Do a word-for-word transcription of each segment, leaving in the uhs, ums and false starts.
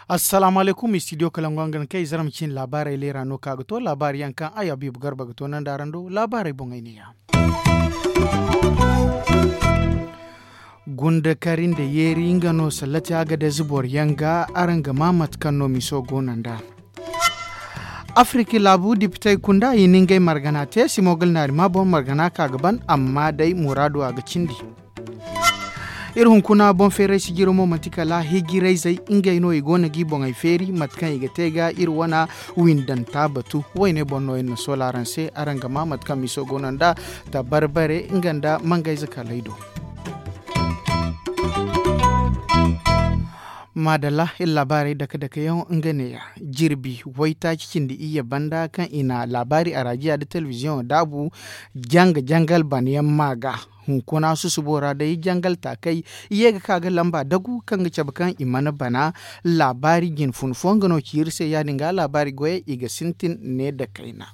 Assalaamu alaykum, studio kalangu, nga na kay zarma cine laabaarey leera no ka ga to laabaari yaŋ kaŋ ay Habiibu Garba ga to nanda araŋ do laabaarey boŋey ne ya. Gunda kari nda yeeri nga no sallati a ga dazi boro yaŋ ga araŋ ga ma mate kaŋ no miso go no nd'a. Afiriki laabu dipitey kunda i na ngey margana te simogal naari ma boŋ margana ka ga ban amma day muraadu a ga cindi. Iri hunkuna boŋ feeray sijiro mo manti kala hijirayzey ngey no i go no g'i boŋey feeri mate kaŋ i ga te ga iri wana windanta batu. Wayne boŋ no iri na soola araŋ se araŋ ga ma mate kaŋ miso go no nd'a tabarbare nga nda mangayze kalay do. Maadalla iri laabaarey dake dake yaŋ nga neeya. Jirbi waytaaci cindi iyye banda kaŋ i na laabaari arajiya nda telebiziyoŋo daabu janga jangal banayaŋ ma ga. Hunkuna susubo ra day jangal taakey i ye ga ka ga lamba dagu kaŋ ga cabe kaŋ i mana bana. Laabaari jinfun fo nga no ci iri se ya- din ga laabaari goyey i ga sintin ne nda kayna.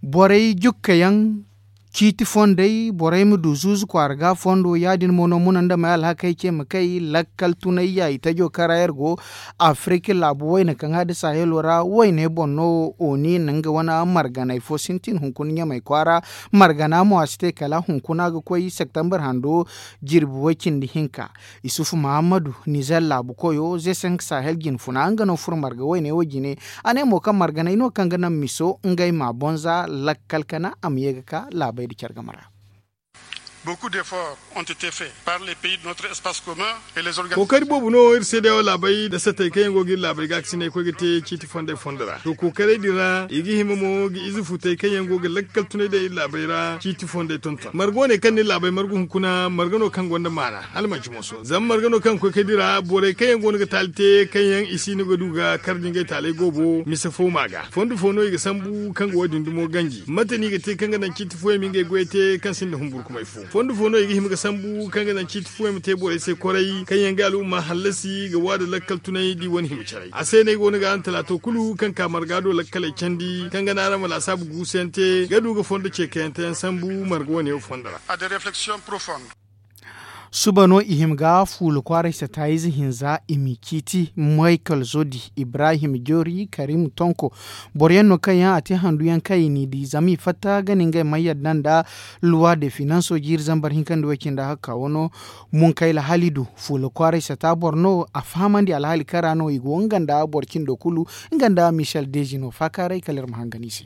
Borey jukkayaŋ ciiti fondey borey ma du zuuzu kwaara ga fondo ya- din mo no muna nda may alhakey ce ma kay lakkal tunay ya i tajo kara yer go. Afiriki laabu wayna kaŋ a da sahelo ra wayne boŋ no oni na nga wane marganay fo sintin hunkuna ɲamay kwaara. Margana mo a si te kala hunkuna ga koy septembre hando jirbi way cindi hinka. Isufu mahammadu nizer laabu koyo zesenk sahel jinfuna nga no furo marga wayne wo jine. A ne mo kaŋ marganay no kaŋ ga naŋ miso ngey ma boŋ za lakkal kana a ma ye ga ka laabey nda care game ra. Beaucoup d'efforts ont été faits par les pays de notre espace commun et les organisations. Kookari boobo no iri seedeyaŋo laabey nda satey kaŋ yaŋ go ga iri laabey gaakasinay koy ga te ciiti fondey fondo ra to kookaray din ra i ga hima mo ga ize futey kaŋ yaŋ go ga lakkal tunay daŋ iri laabey ra ciiti fondey tonton marga wane kaŋ na iri laabey margu hunkuna marga no kaŋ gonda maana hala manci mooso zama marga no kaŋ ga koy kay dira borey kaŋ yaŋ go no ga taali te kaŋ yaŋ i si no ga du ga kar da ngey taaley goobo mise fo ma ga fondo fo no i ga sambu kaŋ ga wo- din dumo ganji mate no i ga te kaŋ ga naŋ ciiti fooyaŋ ma ngey goyey te kaŋ sinda humburkumay fo fondo fo no i ga hima ga sambu kaŋ ga naŋ ciiti fooyaŋ ma te borey se koray kaŋ yaŋ ga al'umma hallasi ga waada lakkal tunay da i wane hima caray a se no ay go no ga araŋ talaato kulu kaŋ ka marga do lakkaley candi kaŋ ga naŋ araŋ ma laasaabu guusu yaŋ te ga du ga fondo ceekayante yaŋ sambu marga wane wo fondo ra. Suba no i hima ga fuula kwaaray sataayize hinza i m'i ciiti maykal zodi ibrahim joori karim tonko boro yaŋ no kaŋ yaŋ a te handu yaŋ kaŋ i n'i di zama i fatta ga na ngey may yadda nda luwa de finanso jiiri zambar hinka nda way cindi hakka wano. Munkayla halidu fuula kwaaray sata boro no a fahamandi alhaali kaŋ ra no i go nga nda boro cindo kulu nga nda michel dezino faakaaray kala iri ma hangan i se.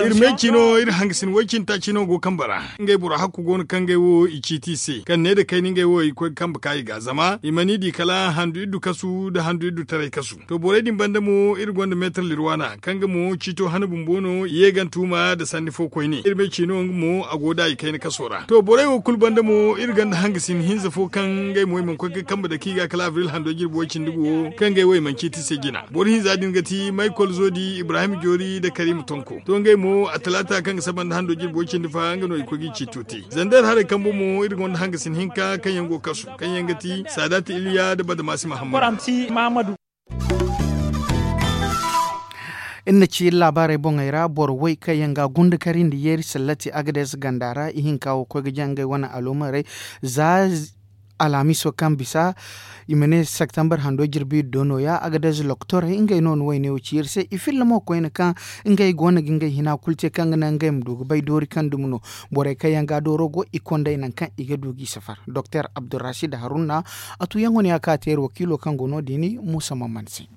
Iri me cino iri hangasin way cine taaci no go kambe ra ngey boro hakku go no kaŋ ngey wo i ciiti i se kaŋ ne nda kayna ngey wo i koy ga kambe ka i ga zama i mana i di kala handu iddu kasu nda handu iddu taray kasu. To borey din banda mo iri gonda meetar lirwaana kaŋ ga mo ciito hana bumbo no i ye ga ni tuuma nda sanni fo koyne iri me cino nga mo a go da i kayna kaso ra to borey wo kulu banda mo iri gonda hangasin hinza fo kaŋ ngey mo i mana koy ga kambe dake i ga kala abril hando jirbi way cindi gu wo kaŋ ngey wo i mana ciiti i se jina. Boro hinza din ga ti maykol zodi ibrahim joori nda karim tonko to ngey mo a talaata kaŋ ga saba nda hando jirbo cindi fa nga no i koy ga i ciito te zander haray kambo mo iri gonda hangasin hinka kaŋ yaŋ go kasu kaŋ yaŋ ga ti sadat iliya nda badamasi mahammadu. Iri na ci iri laabaarey boŋey ra boro way kaŋ yaŋ ga gunda kari nda yeeri sallati agades ganda ra ihinka wo koy ga jaŋ ngey wane aloomarey za alhamiso kaŋ bisa i ma ne septembre hando jirbi iddo nooya agades loktorey ngey no na wayne wo ci iri se i filla mo koyne kaŋ ngey go no ga ngey hina kulu te kaŋ ga naŋ ngey ma du ga bay doori kaŋ dumi no. Borey kaŋ yaŋ ga dooro go i kondey nangu kaŋ i ga du g'i safar doktor abdurrasid haruna. A tuyaŋo no ya kaŋ a te iri wakiilo kaŋ go no- din muusa mamman se.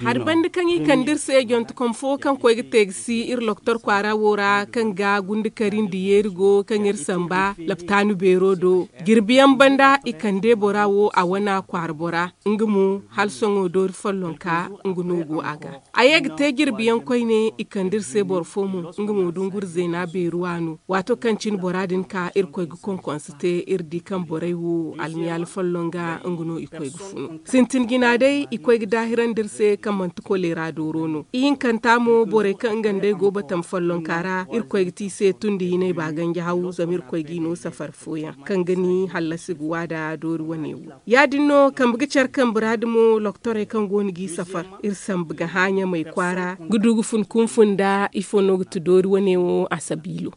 Hari banda kaŋ i kande iri se jontekom fo kaŋ koy ga te ga si iri loktor kwaara wo ra kaŋ ga gunda kari nda yeeri go kaŋ iri samba laptaanu beero do jirbiyaŋ banda i kande bora wo a wana kwaara bora nga mo hala sohõ doori follonka nga no go a ga. A ye ga te jirbiyaŋ koyne i kande iri se boro fo mo nga mo dunguri zeena beeruwa no waato kaŋ cine bora din ka irkoy ga konkonse te iri di kaŋ borey wo almiyaali folloŋ ga nga no i koy ga funu sintin. Na day i koy ga daahirandi iri se kaŋ manti koleera dooro no. Ihinkanta mo borey kaŋ nga nd'ey go batama follonka ra, irkoy ga te i se tundi hinay ba ganji haw zama irkoy g'i no safar fooyaŋ kaŋ ga ni hallasi ga waada doori wane wo. Ya- din no kambe ga care kambe ra damo loktorey kaŋ go no g'i safar, iri sambu ga hã ɲamey kwaara ga du ga fun kunfun nda ifo no ga ti doori wane wo a sabiilo.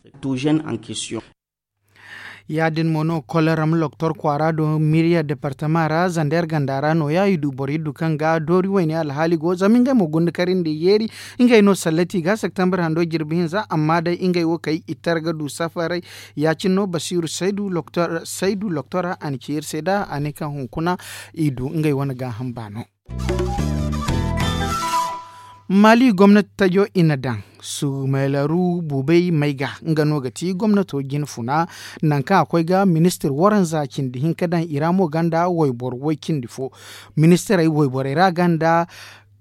Ya- din mo no koleram loktor kwaara do miriya departama ra zander ganda ra nooya i du borey du kaŋ ga doori wayne alhaali go zama ngey mo gunda kari nda i yeeri. Ngey no sallati ga septembre hando jirbi hinza amma day ngey wo kay i tar ga du safaray. Ya- cine no basiiru saydu loktora a na ci iri se nd'a a ne kaŋ hunkuna i du ngey wane gaaham baano. Maali gomnati tajo i na daŋ sumaylaru buubay may ga nga no ga ti gomnato jine funa. Nangu kaŋ a koy ga ministir waranza cindi hinka daŋ i ra mo gonda wayboro way cindi fo. Ministirey wayborey ra gonda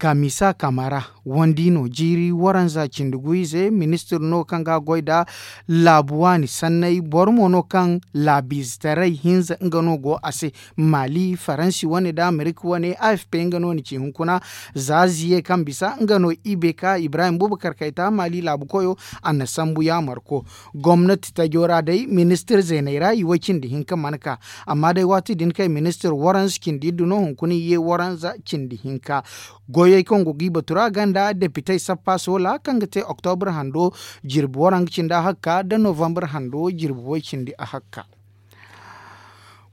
kamisa kamara wandi no jiiri waranza cindi guyize ministir no kaŋ ga a goy nda laabu waani sanney boro mo no kaŋ laabiizetaray hinza nga no go a se. Maali faransi wane nda amerika wane afp nga no na ci hunkuna. Za ziye kaŋ bisa nga no i bay ka ibrahim bubakar kayta maali laabu koyo a na sambu yaamarko. Gomnati tajo ra day ministir zeeney ra i way cindi hinka mana ka. Amma day waati din kaŋ ministir waranza cindi iddu no hunkuna i ye waranza cindi hinka. Goyey kaŋ go g'i batu ra gonda depitey sappa soola kaŋ ga te oktobur hando jirbi waranka cindi a hakka nda novambar hando jirbi way cindi a hakka.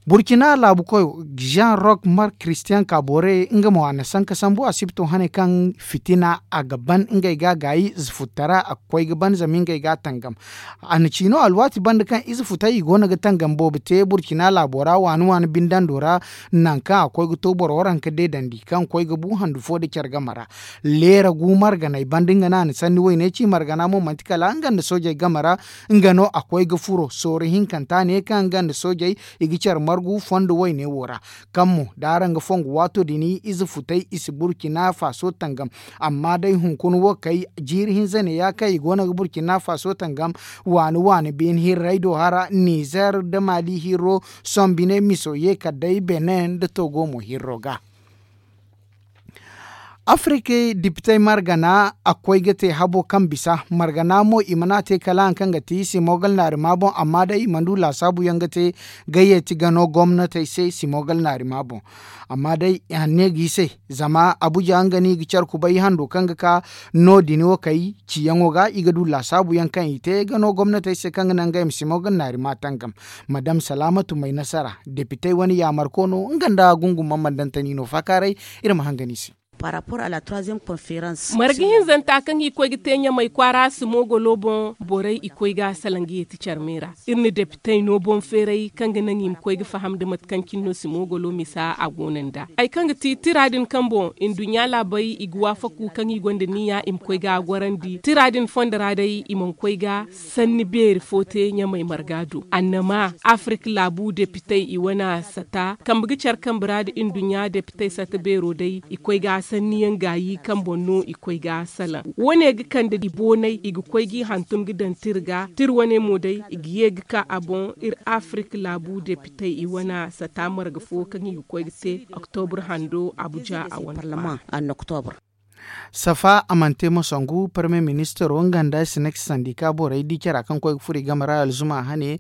Burkina laabu koyo jean rock mark christian kabore nga mo a na sanka sambu a sibto hane kaŋ fitina a ga ban ngey ga gaayi ize futtara a ga koy ga ban zama ngey ga a tangam. A na ci no alwaati banda kaŋ ize futay i go no ga tangam boobo te burkina laabo ra waani waani bindando ra. Nangu kaŋ a koy ga to boro waranka deedandi kaŋ koy ga bu handu fo nda care game ra. Leera gu marganey banda nga no a na sanni wayne ci margana mo manti kala nga nda soojey game ra. Nga no a koy ga furo sooro hinkanta ne kaŋ nga nda soojey i ga care margu fondo wayne wo ra. Kaŋ mo da araŋ ga fongu waato din ize futay i si burkina faso tangam. Amma day hunkuna wo kay jiiri hinza ne ya kaŋ i go no ga burkina faso tangam. Waani waani beene hirrey do hara nizer nda maali hirro sombine miso ye kala day benin nda togo mo hirro ga. Afirika dipitey margana a koy ga te habo kaŋ bisa margana mo i mana te kala hari kaŋ ga ti simogal naari ma boŋ amma day i mana du laasaabu yaŋ ga te. Gayyati gano gomnatey se simogal naari ma boŋ. Amma day i hanne ga i se zama abuja nga no i ga care kubay hando kaŋ ga ka no- din wo kay ciyaŋo ga i ga du laasaabu yaŋ kaŋ i te gano gomnatey se kaŋ ga naŋ ngey ma simogal naari ma tangam. Madam salaamatu may nasara depitey wane yaamarko no nga nda gungu mammandantani no faakaaray. Iri ma hangan i se. Marga hinzanta kaŋ i koy ga te ɲamay kwaara simogolo boŋ borey i koy ga salaŋ ga yeeti carmey ra. Iri na depitey no boŋ feeray kaŋ ga naŋ i ma koy ga faham nda mate kaŋ cine no simogolo misa a go no nd'a. Hari kaŋ ga ti tira din kaŋ boŋ nduɲɲa laabey i ga waafaku kaŋ i gonda niya i ma koy ga a gorandi tira din fondo ra day i mana koy ga sanni beeri fo te ɲamay marga do annama afirka laabu depitey i wane sata kambe ga care kambe ra nda nduɲɲa depitey sata beero day i koy ga sanniyaŋ gaayi kaŋ boŋ no i koy ga salaŋ. Wo- ne ga kande i boonay i ga koy g'i hantum ga daŋ tira ga tira wane mo day i ga ye ga ka a boŋ iri afirka laabu depitey i wane sata marga fo kaŋ i ga koy ga te oktobur hando abuja a wane kwaara. Safa a mana te ma sangu parmiye ministiro nga nda sinex sandika borey di cara kaŋ koy ga furo i game ra alzuma hane.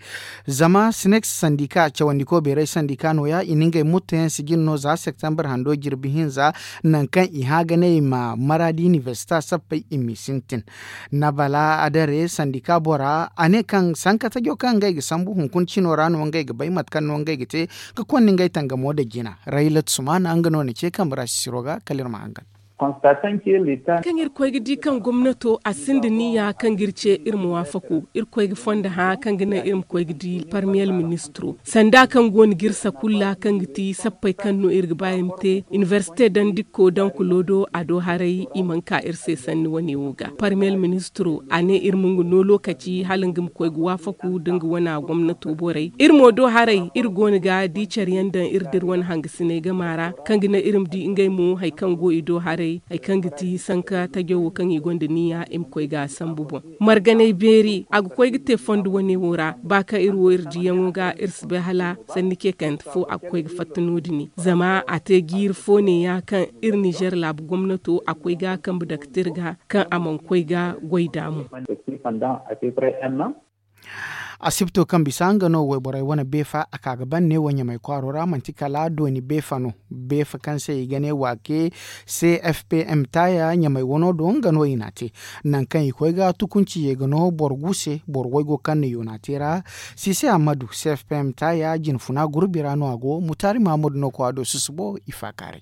Zama sinex sandika cawandiko beerey sandika nooya i na ngey mutto yaŋ sijin no za septembre hando jirbi hinza. Nangu kaŋ i hã ga ne i ma maraadi inibersita sappey i m'i sintin. Nabala adare sandika bora a ne kaŋ sankatajo kaŋ ngey ga sambu hunkuna cino ra no ngey ga bay mate kaŋ no ngey ga te ga konda ngey tangamo nda jina. Raylat sumana nga no na ce kambe ra sisiro ga kala iri ma hangan. Kaŋ iri koy ga di kaŋ gomnato a sinda niya kaŋ ga iri ce iri ma waafako iri koy ga fondo hã kaŋ ga naŋ iri ma koy ga di parmiyel ministiro sanda kaŋ go no ga iri sakulla kaŋ ga ti sappey kaŋ no iri ga ba iri ma te inibersite daŋ dikko daŋ kulo do a do haray i mana ka iri se sanni wane wo ga parmiyel ministiro a ne iri ma nga no lokaci hala nga ma koy ga waafaku da nga wana gomnato borey iri mo do haray iri go no ga di care yaŋ daŋ iri da iri wane hangasiney gama ra kaŋ ga naŋ iri ma di ngey mo hari kaŋ go i do haray. Hari kaŋ ga ti sanka tajo wo kaŋ i gonda niya i ma koy ga a sambu boŋ. Marganay beeri a ga koy ga te fondo wane wo ra ba kaŋ iri wo iri diyaŋo ga iri si bay hala sanni ce kante fo a ga koy ga fatta no- din zama a te jiiri fo ne- ya kaŋ iri nizer laabu gomnato a koy ga a kambe daktir ga kaŋ a mana koy ga goy da mo. Asibto kaŋ bisa nga no wayborey wane beefa a ka ga ban ne wo ɲamay kwaaro ra manti kala dooni beefa no. Beefa kaŋ se i ga ne waake c f p m taaya ɲamay wano do nga no i n'a te. Nangu kaŋ i koy ga tukunci ye ga no boro gu se boro waygo kaŋ na yoona te ra. Sise ammadu c f p m taaya jinfuna gurbi ra no a go mutaari mahammadu no koy a do susubo i faakaaray.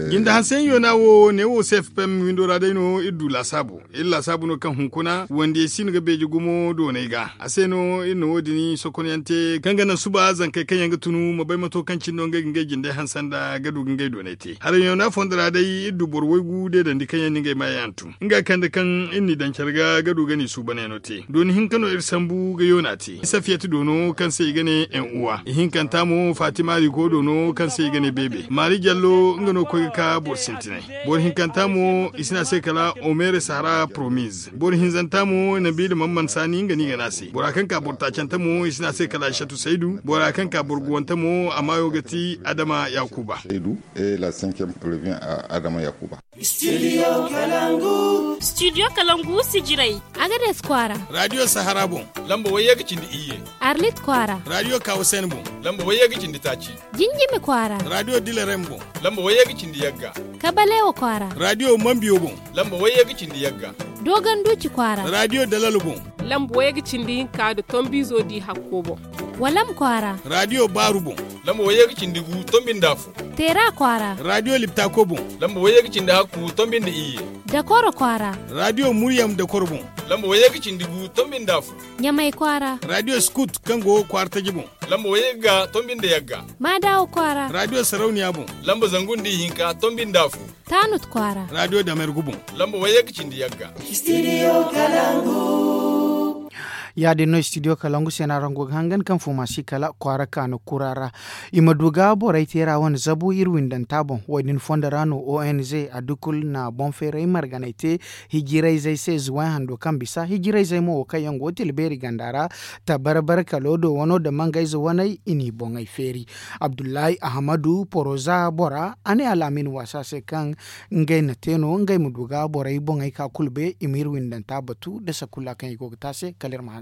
Jinde hanseyaŋ yoona wo ne wo se fpm windo ra day no iri du laasaabu. Iri laasaabu no kaŋ hunkuna wandiyey si no ga beeje gumo doonay ga a se no iri na wo- din sokonyaŋ te kaŋ ga naŋ suba zankey kaŋ yaŋ ga tunu ma bay mato kaŋ cine no ngey ga ngey jinde hanse nda ga du ga ngey doonay te haray yoona fondo ra day iri du boro waygu deedandi kaŋ yaŋ na ngey maayaŋ hantum nga kande kaŋ iri n'i daŋ care ga ga du ga n'i suubanay no te dooni hinka no iri sambu ga yoona te safiyat doono kaŋ se i ga ne en uwa ihinkanta mo fatima rigo doono kaŋ se i ga ne beebe maari jallo nga no koy ga ka boro sintinay. Boro hinkanta mo i si ne a se kala omere sahara promise boro hinzanta mo nabiila mamman saani nga no i ga ne a se bora kaŋ ka boro taacanta mo i si ne a se kala aysatu saydu bora kaŋ ka boro guwanta mo a maayo ga ti adama yakuba. Adama yakuba. Studio kalangu sijirey. Agades kwaara. Radiyo sahara boŋ. Lamba wayye ga cindi iyye. Arlit kwaara. Radiyo kawasen boŋ. Lamba wayye ga cindi taaci. Jinjimi kwaara. Radiyo dilarem boŋ. Lamba wayye ga cindi yagga. Kabalewa kwaara. Radiyo mambiyo boŋ. Lamba wayye ga cindi yagga. Dogon duuci kwaara. Radiyo dalalo boŋ. Lamba wayye ga cindi hinka nda tombizo di hakko boŋ. Walam kwaara. Radiyo baaru boŋ. Lamba wayye ga cindi gu tombi nda afo. Teera kwaara. Radiyo liptako boŋ. Lamba wayye ga cindi hakku tombi nda iyye. Dakoro kwaara. Radiyo muryam dakoro boŋ. Lamba wayye ga cindi gu tombi nda afo. Ɲamay kwaara. Radiyo skut kaŋ go kwaara taji boŋ. Lamba wayye ga tombi nda yagga. Maadawo kwaara. Radiyo sarauniya boŋ. Lamba zangu nda ihinka tombi nda afo. Taanut kwaara. Radiyo damergu boŋ. Lamba wayye ga cindi yagga. Ya- din no studio kalangu se no araŋ go ga hangan kaŋ fo ma si kala kwaara kaanu kura ra. I ma du ga borey teera wane zabu iri windanta boŋ wo- din fondo ra no ong a dukul na boŋ feeray marganay te. Hijirayzey se zuway hando kaŋ bisa hijirayzey mo wo kaŋ yaŋ go ga tila beeri ganda ra. Tabarbar kalo do wano nda mangayze waney i n'i boŋey feeri. Abdullahi ahamadu poroza bora a ne alaamin waasa se kaŋ ngey na te no ngey ma du ga borey boŋey ka kulu bay i ma iri windanta batu nda sakulla kaŋ i go ga te a se kala iri ma hangan.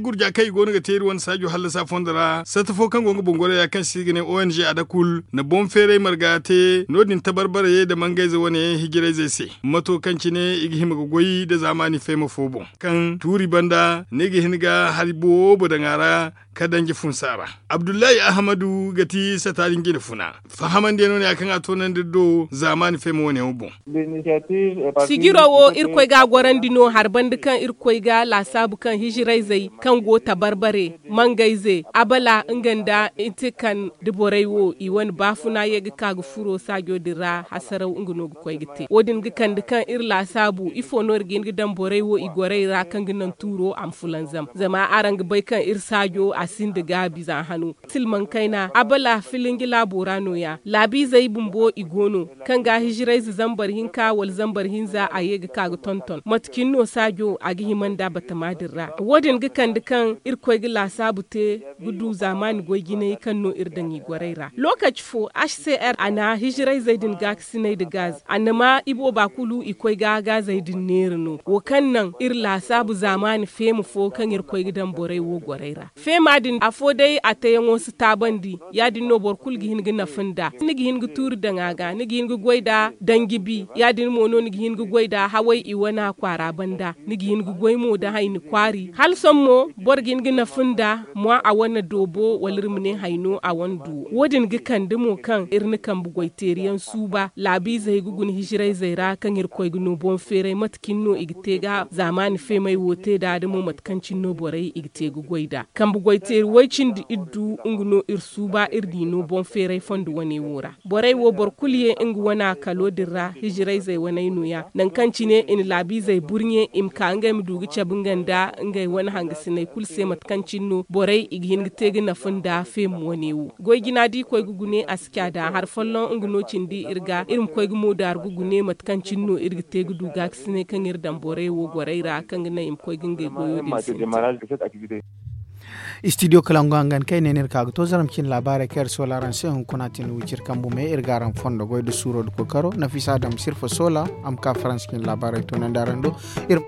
Gurja kaŋ i go no ga te iri wane saajo hallasa fondo ra satta fo kaŋ go nga boŋ goro ya kaŋ se i ga ne ong a da kulu na boŋ feeray marga te no- din tabarbarayey nda mangayze wane hijirayzey se mato kaŋ cine i ga hima ga goy nda zaamaani feema fo boŋ kaŋ tuuri banda ni ga hin ga hari boobo daŋ a ra. Ka danji funsa ra abdullahi ahamadu ga ti sata din jine funa fahamandi no ne ya kaŋ a toonandi iri do zaamaani feema wane wo boŋ. Sijiro wo irkoy ga a gorandi no hari banda kaŋ irkoy ga laasaabu kaŋ hijirayzey kaŋ go tabarbare mangayze abala nga nda intikan da borey wo i wane baafuna ye ga ka ga furo saajo din ra hasaraw nga no ga koy ga te wo- din ga kande kaŋ iri laasaabu ifo no iri ga hin ga daŋ borey wo i gorey ra kaŋ ga naŋ tuuro a ma fulanzam zama araŋ ga bay kaŋ iri saajo a sinda gaabi za hano. Silmaŋ kayna abala filinji laabo ra no- ya laabiizey bumbo i go no kaŋ ga hijirayze zambar hinka wala zambar hinza a ye ga ka ga tonton mate cine no saajo a ga hima nda batama din ra wo- din ga kande kaŋ irkoy ga laasaabu te ga du zaamaani goy jinay kaŋ no iri daŋ i gorey ra lookaci fo h c r a na hijirayzey din gaakasinay nda gaz a na ma ibooba kulu i koy ga gaazey din neera no wo kaŋ naŋ iri laasaabu zaamaani feema fo kaŋ iri koy ga daŋ borey wo gorey ra feema din afo day a teyaŋo si taabandi ya- din no boro kulu ga hin ga nafa nda ni ga hin ga tuuri daŋ a ga ni ga hin ga goy nda danji bi ya- din mo no ni ga hin ga goy nda haway i wana kwaara banda ni ga hin ga goy mo nda hayni kwaari hala sohõ mo boro ga hin ga nafa nda mwa a wane doobo wala iri ma ne hayno a wane duwo wo- din ga kande mo kaŋ iri na kambe goyteeriyaŋ suuba laabiizey ga guna hijirayzey ra kaŋ iri koy ga no boŋ feeray mate cine no i ga te ga zaamaani feemay wo te nd'a da mo mate kaŋ cine no borey i ga te ga goy nd'a kambe goy Teeri way-cindi iri du nga no iri suuba iri di no boŋ feeray fondo wane wo ra. Borey wo boro kulu ye nga wane a kalo din ra hijirayzey waney no- ya nangu kaŋ cine i na laabiizey burɲe i ma ka ngey ma du ga cabe nga nda ngey wane hangasiney kulu se mate kaŋ cine no borey i ga hin ga te ga nafa nda feema wane wo. Goy jina da i koy ga gune a si ca da hari folloŋ nga no cindi iri ga iri ma koy ga moodaaru ga gune mate kaŋ cine no iri ga te ga du gaakasiney kaŋ iri daŋ borey wo gorey ra kaŋ ga naŋ i ma koy ga ngey goyo din sintin. Istidiyo kalangu hangan kaŋ ay ne no iri ka ga to zaram cine laabaarey kaŋ iri soola araŋ se hunkuna tin wiciri kambu me iri ga araŋ fondo goy nda suuro nda kookaro nafisa adam sirfa soola a ma ka faransa cine laabaarey toonandi araŋ do. Iri